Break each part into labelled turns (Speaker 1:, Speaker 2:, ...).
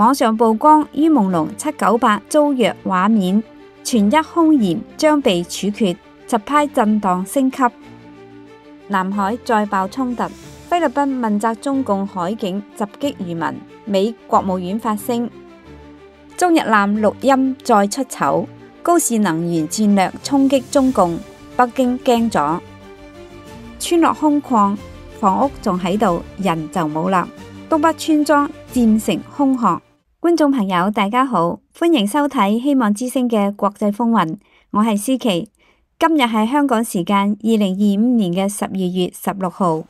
Speaker 1: 網上曝光于朦朧798遭虐畫面，傳一兇嫌將被處決，實派震盪升級。南海再爆衝突，菲律賓問責中共海警襲擊漁民，美國務院發聲。中日艦錄音再出醜，高市能源戰略衝擊中共，北京驚咗。村落空曠，房屋仲喺度，人就冇啦。東北村莊漸成空巷。觀眾朋友大家好，歡迎收睇希望之聲嘅國際風雲，我係思琪。今日係香港時間2025年嘅12月16號。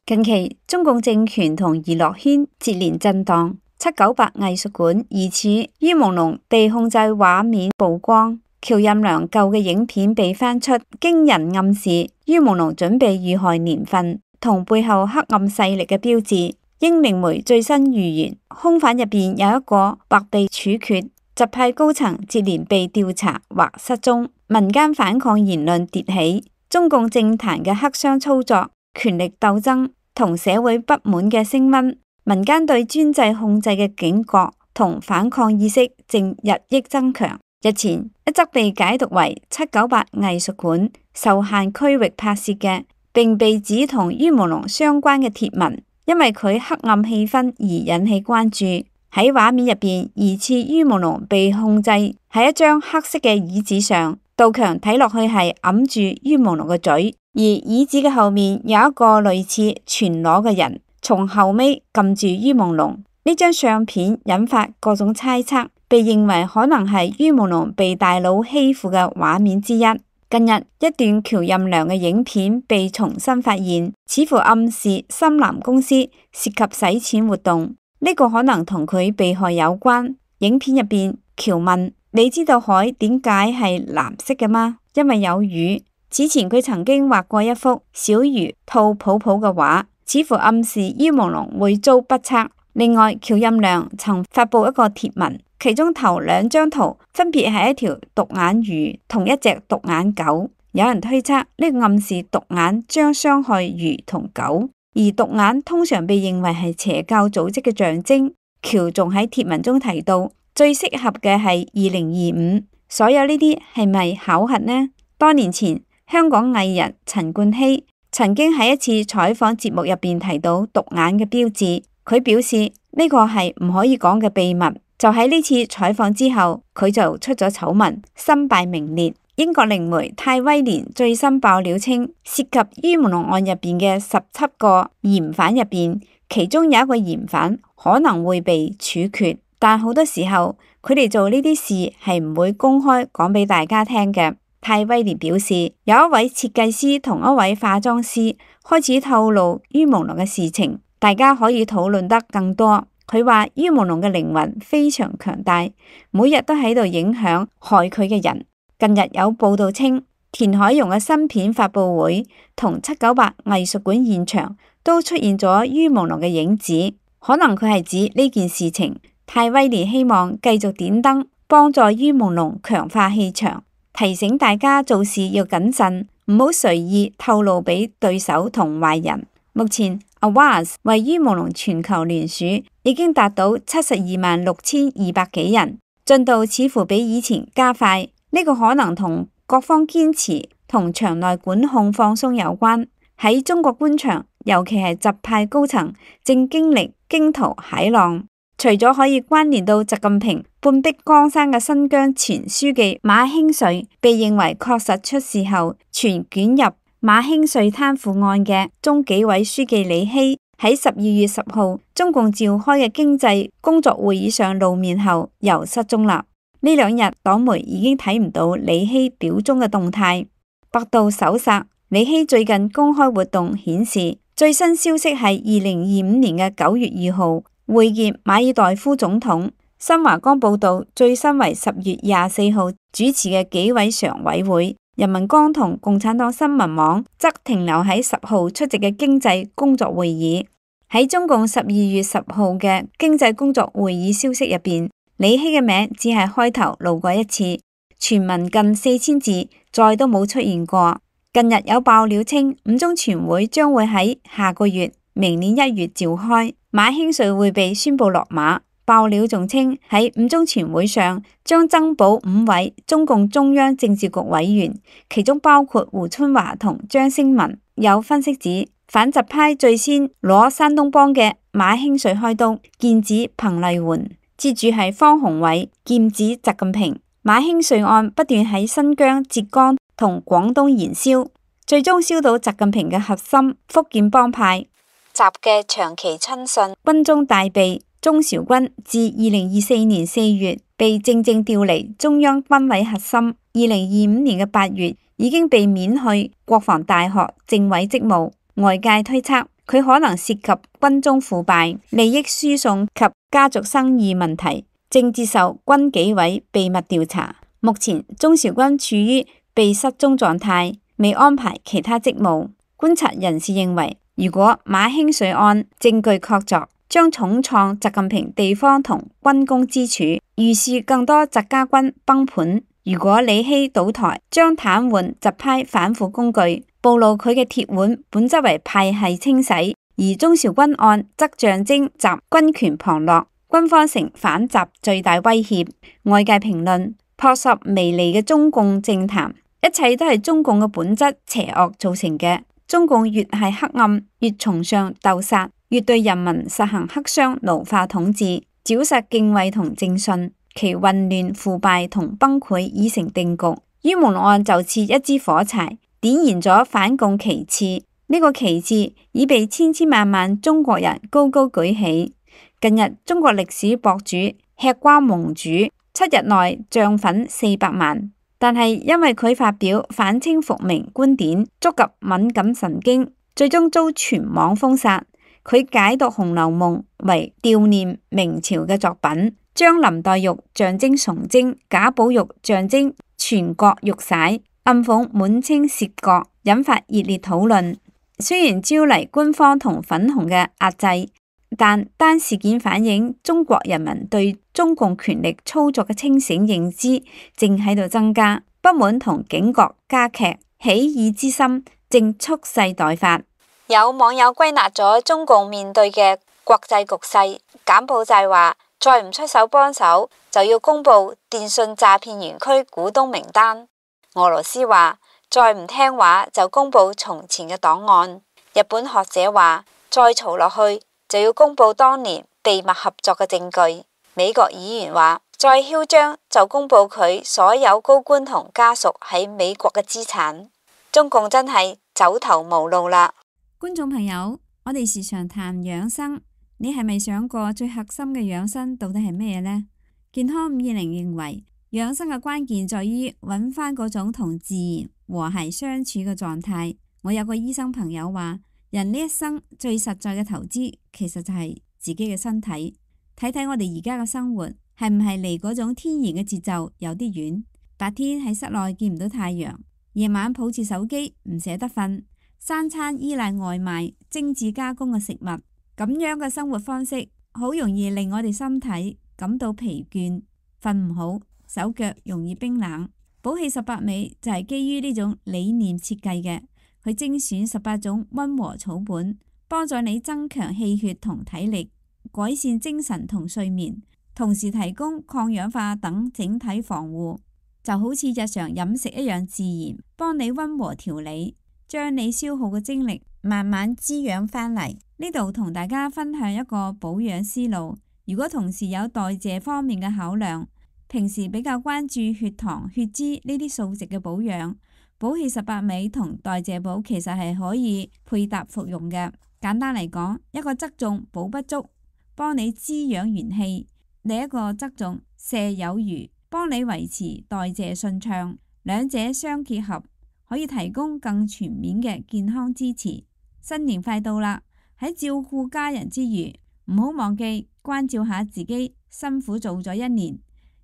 Speaker 1: 近期中共政權同娛樂圈接連震盪，798藝術館疑似于朦朧被控制畫面曝光，喬任梁舊嘅影片被翻出，驚人暗示于朦朧準備遇害年份同背後黑暗勢力嘅標誌。英靈媒最新預言，兇犯入邊有一個或被處決，習派高層接連被調查或失蹤，民間反抗言論迭起，中共政壇嘅黑箱操作、權力鬥爭同社會不滿嘅升溫，民間對專制控制嘅警覺同反抗意識正日益增強。日前一則被解讀為798藝術館受限區域拍攝嘅，並被指同于朦朧相關嘅貼文，因為佢黑暗氣氛而引起關注。喺畫面入邊，疑似于朦朧被控制喺一張黑色嘅椅子上，杜強睇落去係揞住于朦朧嘅嘴，而椅子嘅後面有一個類似全裸嘅人，從後尾撳住于朦朧。呢張相片引發各種猜測，被認為可能係于朦朧被大佬欺負嘅畫面之一。近日一段喬任梁嘅影片被重新發現，似乎暗示深藍公司涉及洗錢活動，呢個可能同佢被害有關。影片入邊，喬問：你知道海點解係藍色嘅嗎？因為有魚。此前佢曾經畫過一幅小魚吐泡泡嘅畫，似乎暗示于朦朧會遭不測。另外，喬任梁曾發布一個貼文，其中頭兩張圖分別係一條獨眼魚同一隻獨眼狗。有人推測呢個暗示獨眼將傷害魚同狗，而獨眼通常被認為係邪教組織嘅象徵。喬仲喺貼文中提到，最適合嘅係2025。所有呢啲係咪巧合呢？多年前，香港藝人陳冠希曾經喺一次採訪節目入邊提到獨眼嘅標誌，佢表示呢個係唔可以講嘅秘密。就喺呢次採訪之後，佢就出咗醜聞，身敗名裂。英國靈媒泰威廉最新爆料稱，涉及于朦朧案入邊嘅17個嫌犯入邊，其中有一個嫌犯可能會被處決，但好多時候佢哋做呢啲事係唔會公開講俾大家聽嘅。泰威廉表示，有一位設計師同一位化妝師開始透露于朦朧嘅事情，大家可以討論得更多。佢話于朦朧嘅靈魂非常強大，每日都喺度影響害佢嘅人。近日有報道稱，田海蓉嘅新片發佈會同798藝術館現場都出現咗于朦朧嘅影子，可能佢係指呢件事情。泰威廉希望繼續點燈，幫助于朦朧強化氣場，提醒大家做事要謹慎，唔好隨意透露俾對手同壞人。目前Awaz 為于朦朧全球聯署已經達到726200幾人，進度似乎比以前加快。呢個可能同各方堅持同場內管控放鬆有關。喺中國官場，尤其係習派高層正經歷驚濤駭浪，除咗可以關聯到習近平半壁江山嘅新疆前書記馬興瑞被認為確實出事後全捲入馬興瑞貪腐案嘅中紀委書記李希，喺12月10號中共召開嘅經濟工作會議上露面後又失蹤啦。呢兩日黨媒已經睇唔到李希表忠嘅動態。百度搜索李希最近公開活動顯示，最新消息係2025年嘅9月2號會見馬爾代夫總統。新華江報道，最新為10月24號主持嘅紀委常委會。人民江同共產黨新聞網則停留喺10號出席嘅經濟工作會議。喺中共12月10號嘅經濟工作會議消息入邊，李希嘅名只係開頭露過一次，全文近4000字，再都冇出現過。近日有爆料稱，五中全會將會喺下個月明年1月召開，馬興瑞會被宣布落馬。爆料仲稱喺五中全會上將增補5位中共中央政治局委員，其中包括胡春華同張星文。有分析指，反習派最先攞山東幫嘅馬興瑞開刀，劍指彭麗媛，接住係方鴻偉，劍指習近平。馬興瑞案不斷喺新疆、浙江同廣東燃燒，最終燒到習近平嘅核心福建幫派。習嘅長期親信、軍中大秘鍾韶軍，自2024年4月被正調離中央軍委核心，2025年嘅8月已經被免去國防大學政委職務。外界推測佢可能涉及軍中腐敗、利益輸送及家族生意問題，正接受軍紀委秘密調查。目前鍾韶軍處於被失蹤狀態，未安排其他職務。觀察人士認為，如果馬興瑞案證據確鑿，將重創習近平地方同軍工支柱，預示更多習家軍崩盤。如果李希倒台，將癱瘓習派反腐工具，暴露佢嘅鐵腕本質為派系清洗；而鍾韶軍案則象徵習軍權旁落，軍方成反習最大威脅。外界評論，撲朔迷離嘅中共政壇，一切都係中共嘅本質邪惡造成嘅。中共越係黑暗，越崇尚鬥殺，越對人民實行黑箱奴化統治，沼實敬畏同正信，其混亂腐敗同崩潰已成定局。于朦朧案就似一支火柴，點燃咗反共旗幟，呢個旗幟已被千千萬萬中國人高高舉起。近日中國歷史博主吃瓜盟主7日內漲粉400萬，但係因為佢發表反清復明觀點，觸及敏感神經，最終遭全網封殺。佢解讀《紅樓夢》為悼念明朝嘅作品，將林黛玉象徵崇禎，賈寶玉象徵全國玉璽，暗諷滿清竊國，引發熱烈討論。雖然招嚟官方同粉紅嘅壓制，但單事件反映中國人民對中共權力操作嘅清醒認知正喺度增加，不滿同警覺加劇，起義之心正蓄勢待發。有網友歸納咗中共面對嘅國際局勢，柬埔寨話再唔出手幫手，就要公布電信詐騙園區股東名單；俄羅斯話再唔聽話就公布從前嘅檔案；日本學者話再嘈落去就要公布當年秘密合作嘅證據；美國議員話再囂張就公布佢所有高官同家屬喺美國嘅資產。中共真係走投無路啦！觀眾朋友，我哋時常談養生，你係咪想過最核心嘅養生到底係咩呢？健康520認為，養生嘅關鍵在於揾翻嗰種同自然和諧相處嘅狀態。我有個醫生朋友話，人呢一生最實在嘅投資，其實就係自己嘅身體。睇睇我哋而家嘅生活，係唔係離嗰種天然嘅節奏有啲遠？白天喺室內見唔到太陽，夜晚抱住手機唔捨得瞓。三餐依賴外賣、精緻加工嘅食物，咁樣嘅生活方式好容易令我哋身體感到疲倦、瞓唔好、手腳容易冰冷。寶氣18味就係基於呢種理念設計嘅，佢精選18種溫和草本，幫助你增強氣血同體力，改善精神同睡眠，同時提供抗氧化等整體防護，就好似日常飲食一樣自然，幫你溫和調理。將你消耗嘅精力慢慢滋養返嚟。呢度同大家分享一個保養思路。如果同時有代謝方面嘅考量，平時比較關注血糖、血脂呢啲數值嘅保養，寶氣18味同代謝寶其實係可以配搭服用嘅。簡單嚟講，一個側重補不足，幫你滋養元氣；另一個側重瀉有餘，幫你維持代謝順暢。兩者相結合，可以提供更全面嘅健康支持。新年快到啦，喺照顧家人之餘，唔好忘記關照下自己，辛苦做咗1年。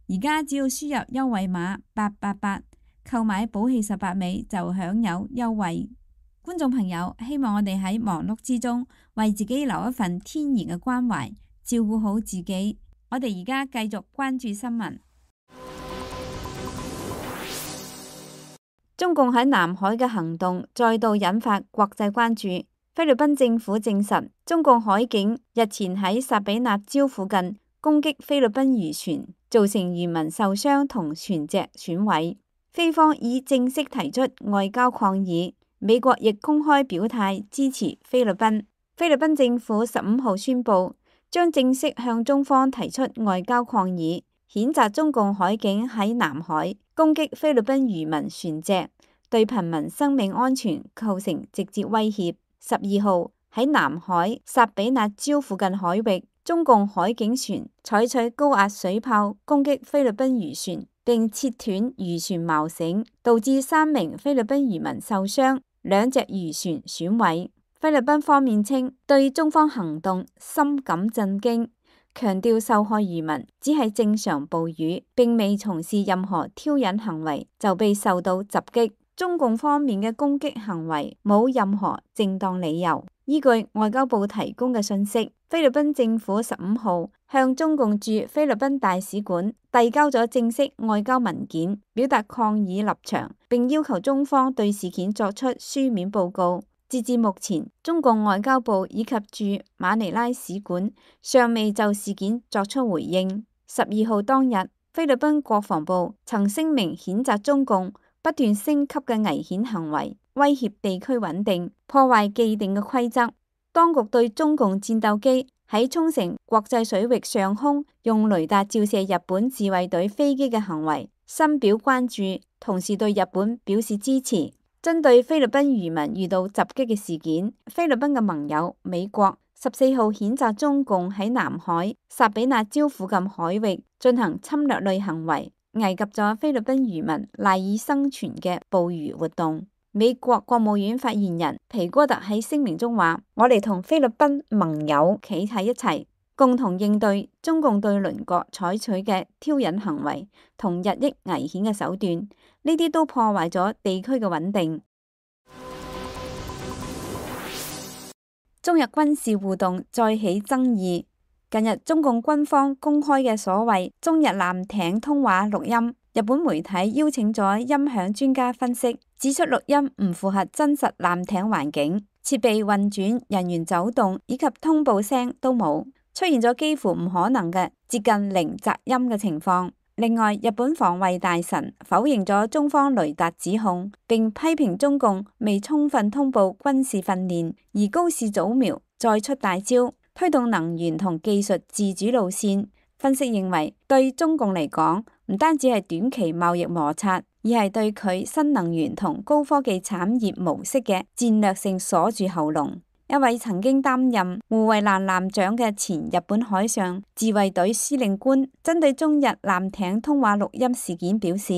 Speaker 1: 而家只要輸入優惠碼888，購買寶氣18味就享有優惠。觀眾朋友，希望我哋喺忙碌之中，為自己留一份天然嘅關懷，照顧好自己。我哋而家繼續關注新聞。中共喺南海嘅行動再度引發國際關注。菲律賓政府證實，中共海警日前喺薩比納礁附近攻擊菲律賓漁船，造成漁民受傷同船隻損毀。菲方已正式提出外交抗議，美國亦公開表態支持菲律賓。菲律賓政府15號宣布，將正式向中方提出外交抗議，譴責中共海警喺南海攻擊菲律賓漁民船隻，對貧民生命安全構成直接威脅。12號喺南海薩比納礁附近海域，中共海警船採取高壓水炮攻擊菲律賓漁船，並切斷漁船錨繩，導致3名菲律賓漁民受傷，2隻漁船損毀。菲律賓方面稱對中方行動深感震驚，強調受害漁民只係正常捕魚，並未從事任何挑釁行為就被受到襲擊。中共方面嘅攻擊行為冇任何正當理由。依據外交部提供嘅信息，菲律賓政府15號向中共駐菲律賓大使館遞交咗正式外交文件，表達抗議立場，並要求中方對事件作出書面報告。截至目前，中共外交部以及駐馬尼拉使館尚未就事件作出回應。12號當日，菲律賓國防部曾聲明譴責中共不斷升級嘅危險行為，威脅地區穩定，破壞既定嘅規則。當局對中共戰鬥機喺沖繩國際水域上空用雷達照射日本自衛隊飛機嘅行為深表關注，同時對日本表示支持。針對菲律賓漁民遇到襲擊嘅事件，菲律賓嘅盟友美國14號譴責中共喺南海薩比納礁附近海域進行侵略類行為，危及咗菲律賓漁民賴以生存嘅捕魚活動。美國國務院發言人皮哥特喺聲明中話：我哋同菲律賓盟友企喺一齊，共同應對中共對鄰國採取嘅挑釁行為同日益危險嘅手段，呢啲都破壞咗地區嘅穩定。中日軍事互動再起爭議。近日中共軍方公開嘅所謂中日艦艇通話錄音，日本媒體邀請咗音響專家分析，指出錄音唔符合真實艦艇環境，設備運轉、人員走動以及通報聲都冇，出現咗幾乎唔可能嘅接近零雜音嘅情況。另外，日本防衛大臣否認咗中方雷達指控，並批評中共未充分通報軍事訓練，而高市早苗再出大招，推動能源同技術自主路線。分析認為，對中共嚟講，唔單止係短期貿易摩擦，而係對佢新能源同高科技產業模式嘅戰略性鎖住喉嚨。一位曾經擔任護衛艦艦長嘅前日本海上自衛隊司令官，針對中日艦艇通話錄音事件表示，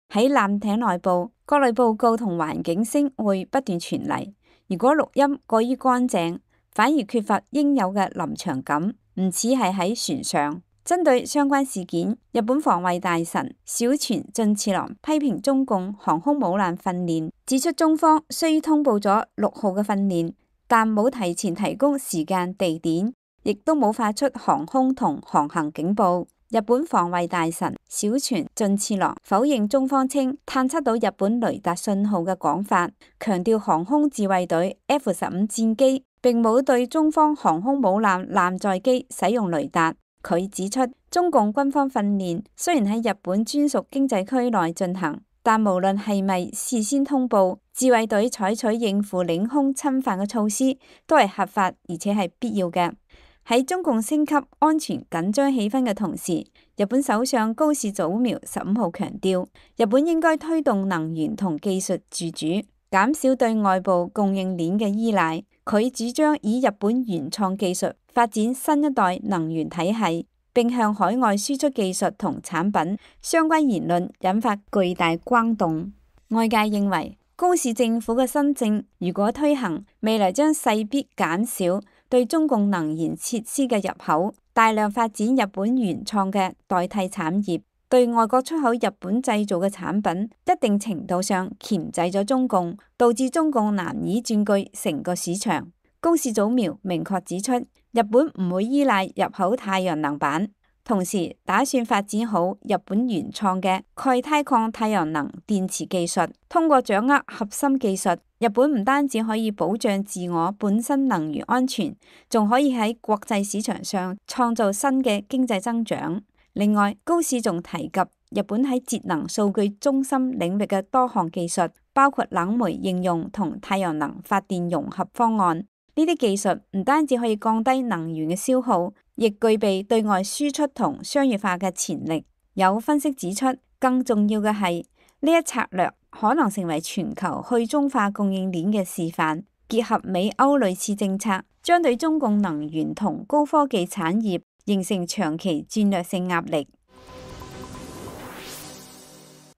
Speaker 1: 喺艦艇內部，各類報告同環境聲會不斷傳嚟。如果錄音過於乾淨，反而缺乏應有嘅臨場感，唔似係喺船上。針對相關事件，日本防衛大臣小泉進次郎批評中共航空母艦訓練，指出中方雖通報咗6號嘅訓練，但冇提前提供時間地點，亦都冇發出航空同航行警報。日本防衛大臣小泉進次郎否認中方稱探測到日本雷達信號嘅講法，強調航空自衛隊 F-15戰機並冇對中方航空母艦艦載機使用雷達。佢指出，中共軍方訓練雖然喺日本專屬經濟區內進行，但無論係咪事先通報，自衛隊採取應付領空侵犯嘅措施都係合法而且係必要嘅。喺中共升級安全緊張氣氛嘅同時，日本首相高市早苗15號強調，日本應該推動能源同技術自主，減少對外部供應鏈嘅依賴。佢主張以日本原創技術發展新一代能源體系，並向海外輸出技術同產品。相關言論引發巨大轟動。外界認為，高市政府嘅新政如果推行，未來將勢必減少對中共能源設施嘅入口，大量發展日本原創嘅代替產業，對外國出口日本製造嘅產品，一定程度上鉗制咗中共，導致中共難以佔據成個市場。高市早苗明確指出，日本唔會依賴入口太陽能板，同時打算發展好日本原創嘅鈣鈦礦太陽能電池技術，通過掌握核心技術，日本唔單止可以保障自我本身能源安全，仲可以喺國際市場上創造新嘅經濟增長。另外，高市仲提及日本喺節能數據中心領域嘅多項技術，包括冷媒應用同太陽能發電融合方案。呢啲技術唔單止可以降低能源嘅消耗，亦具備對外輸出同商業化嘅潛力。有分析指出，更重要嘅係呢一策略可能成為全球去中化供應鏈嘅示範。結合美歐類似政策，將對中共能源同高科技產業形成長期戰略性壓力。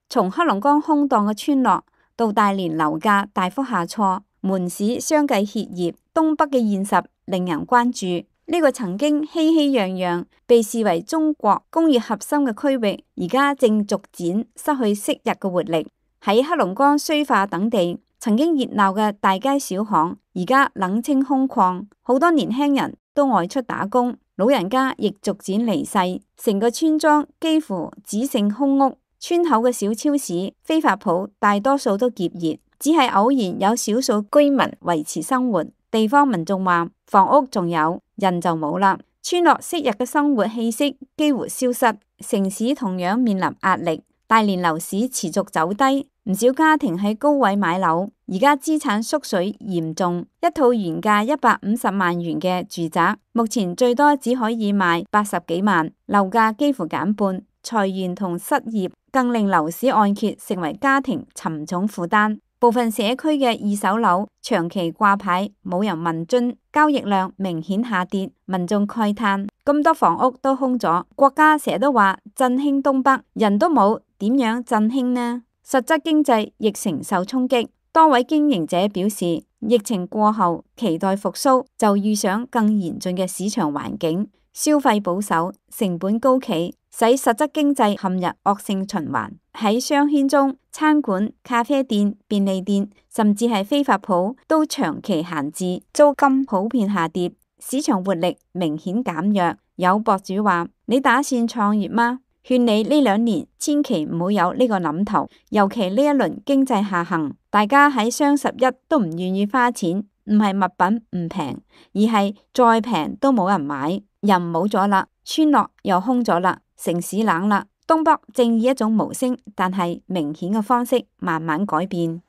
Speaker 1: 從黑龍江空蕩嘅村落到大連樓價大幅下挫，門市相繼歇業，東北嘅現實令人關注。呢個曾經熙熙攘攘，被視為中國工業核心嘅區域，而家正逐漸失去昔日嘅活力。喺黑龍江綏化等地，曾經熱鬧嘅大街小巷，而家冷清空曠，好多年輕人都外出打工，老人家亦逐漸離世，成個村莊幾乎只剩空屋。村口嘅小超市、非法鋪大多數都結業，只係偶然有少數居民維持生活。地方民眾話：房屋仲有，人就冇啦。村落昔日嘅生活氣息幾乎消失，城市同樣面臨壓力。大連樓市持續走低，唔少家庭喺高位買樓，而家資產縮水嚴重。一套原價150萬元嘅住宅，目前最多只可以賣80幾萬，樓價幾乎減半。裁員同失業更令樓市按揭成為家庭沉重負擔。部分社區嘅二手樓長期掛牌，冇人問津，交易量明顯下跌，民眾慨嘆：咁多房屋都空咗，國家成日都話振興東北，人都冇，點樣振興呢？實質經濟亦承受衝擊。多位經營者表示，疫情過後期待復甦，就遇上更嚴峻嘅市場環境，消費保守，成本高企，使實質經濟陷入惡性循環。喺商圈中，餐館、咖啡店、便利店，甚至係非法鋪都長期閒置，租金普遍下跌，市場活力明顯減弱。有博主話：你打算創業嗎？勸你呢2年千祈唔好有呢個諗頭，尤其呢一輪經濟下行，大家喺雙11都唔願意花錢，唔係物品唔平，而係再平都冇人買，人冇咗啦，村落又空咗啦，城市冷啦。東北正以一種無聲但係明顯嘅方式慢慢改變。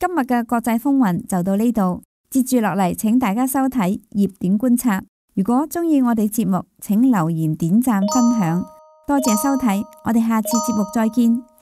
Speaker 1: 今日嘅國際風雲就到呢度，接住落嚟請大家收睇熱點觀察。如果鍾意我哋節目，請留言點讚分享，多謝收睇，我哋下次節目再見。